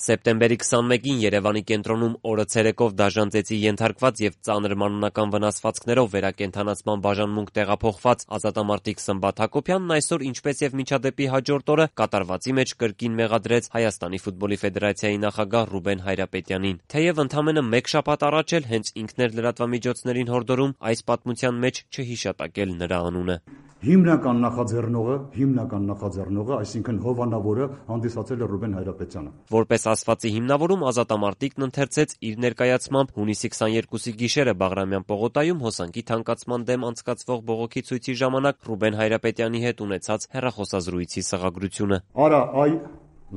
Սեպտեմբերի 21-ին Երևանի կենտրոնում օրը ցերեկով դաժան ծեծի ենթարկված եւ ծանր մանրական վնասվածքներով վերակենդանացման բաժանմունք տեղափոխված ազատամարտիկ Սմբատ Հակոբյանն այսօր, ինչպես եւ միջադեպի հաջորդ օրը, կատարվածի մեջ կրկին մեղադրեց Հայաստանի ֆուտբոլի ֆեդերացիայի նախագահ Ռուբեն Հայրապետյանին։ Թեև ընդամենը մեկ շաբաթ առաջ էլ հենց ինքն էր լրատվամիջոցներին հորդորում այս պատմության մեջ չհիշատակել նրա անունը։ Հիմնական նախաձեռնողը, այսինքն հովանավորը հանդիսացել է Ռուբեն Հայրապետյանը։ Որպես ասվածի հիմնավորում ազատամարտիկն ընթերցեց իր ներկայացմամբ հունիսի 22-ի գիշերը Բաղրամյան պողոտայում հոսանքի թանկացման դեմ անցկացվող բողոքի ցույցի ժամանակ Ռուբեն Հայրապետյանի հետ ունեցած հեռախոսազրույցի սղագրությունը։ Արա, այ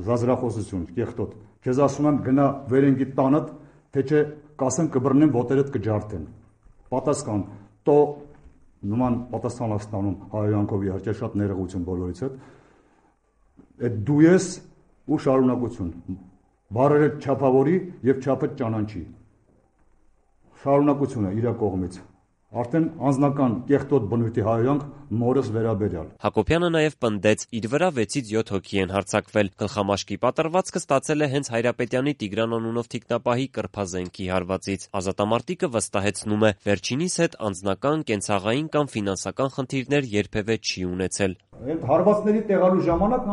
զազրախոսություն, կեղտոտ։ Քեզ ասում եմ գնա վերենգի տանդ, թե չէ կասեմ կբռնեմ ոտերդ կջարդեն։ Պատասխան, տո նման պատասխան ստանում հայոյանքով իհարկե շատ ներողություն բոլորից հետ։ Այդ դու ես ու շարունակություն։ Բառերը չափավորի եւ չափը ճանաչի։ Շարունակությունը իր կողմից։ Արդեն անձնական կեղտոտ բնույթի հայոյանք մորս վերաբերյալ։ Հակոբյանը նաև պնդեց, իր վրա 6-ից 7 հոգի են հարձակվել։ Գլխամաշկի պատրվածքը ստացել է հենց Հայրապետյանի Տիգրան անունով թիկնապահի կրփազենքի հարվածից։ Ազատամարտիկը վստահեցնում է, վերջինիս հետ անձնական, կենցաղային կամ ֆինանսական խնդիրներ երբևէ չի ունեցել։ Այդ հարվածների տեղալու ժամանակ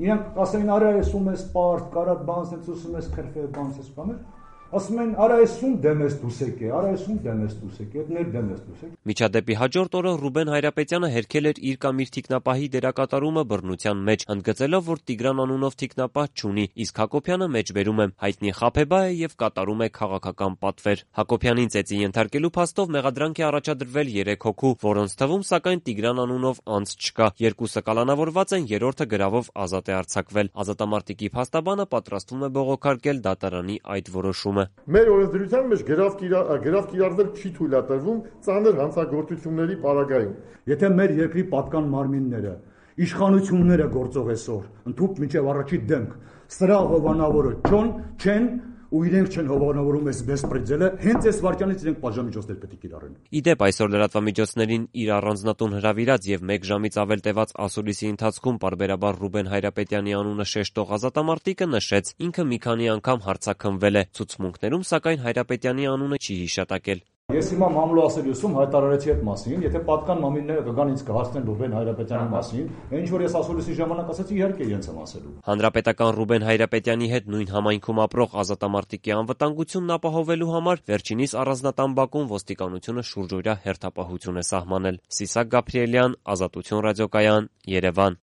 իրենք ասային արա էսում ես պարտ, կարատ բանս ես ուսում ես քրֆե բանս ես բաներ։ Ասում են արա էսում դեմես դուսեք է, արա էսում դեմես դուսեք է, ներ դեմես դուսեք։ Միջադեպի հաջորդ օրը Ռուբեն Հայրապետյանը հերքել էր իր կամ իր թիկնապահի դերակատարումը բռնության մեջ, ընդգծելով, որ Տիգրան անունով թիկնապահ չունի, իսկ Հակոբյանը մեջբերում է, հայտնի խաբեբա է եւ կատարում է քաղաքական պատվեր։ Հակոբյանին ծեծի ենթարկելու փաստով մեղադրանք է առաջադրվել 3 հոգու, որոնց թվում սակայն Տիգրան անունով անձ չկա։ Երկուսը կալանավորված են, երրորդը գրավով ազատ է արձակվել։ Ազատամարտիկի փաստաբանը պատրաստվում է բողոքարկել դատարանի այդ որոշումը։ Մեր օրենսդրության մեջ գրավ կիրառվել չի թույլատրվում ծանր հանցագործությունների պարագայում։ Եթե մեր երկրի պատկան մարմինները, իշխանությունները գործող այսօր, ընդհուպ մինչև առաջի դեմք, սրա հովանավորը չեն ու իրենք չեն հովանավորում այս բեսպրեդելը, հենց այս վարքյանից իրենք պատժամիջոցներ պետք է կիրառեն։ Իդեպ այսօր լրատվամիջոցներին իր առանձնատուն հրավիրած եւ 1 ժամից ավել տևած ասուլիսի ընթացքում պարբերաբար Ռուբեն Հայրապետյանի անունը շեշտող ազատամարտիկը նշեց, ինքը մի քանի անգամ հարցաքննվել է, ցուցմունքներում սակայն Հայրապետյանի անունը չի հիշատակել։ Ես հիմա մամլոասերիուսում հայտարարեցի այդ մասին, եթե պատկան մամիլները կգան ինձ կհասցնեն Ռուբեն Հայրապետյանի մասին, ինչ որ ես ասուլիսի ժամանակ ասացի, իհարկե իրենց եմ ասելու։ Հանրապետական Ռուբեն Հայրապետյանի հետ նույն համայնքում ապրող ազատամարտիկի անվտանգությունն ապահովելու համար վերջինիս առանձնատան բակում ոստիկանությունը շուրջօրյա հերթապահություն է սահմանել։ Սիսակ Գաբրիելյան, Ազատություն ռադիոկայան, Երևան։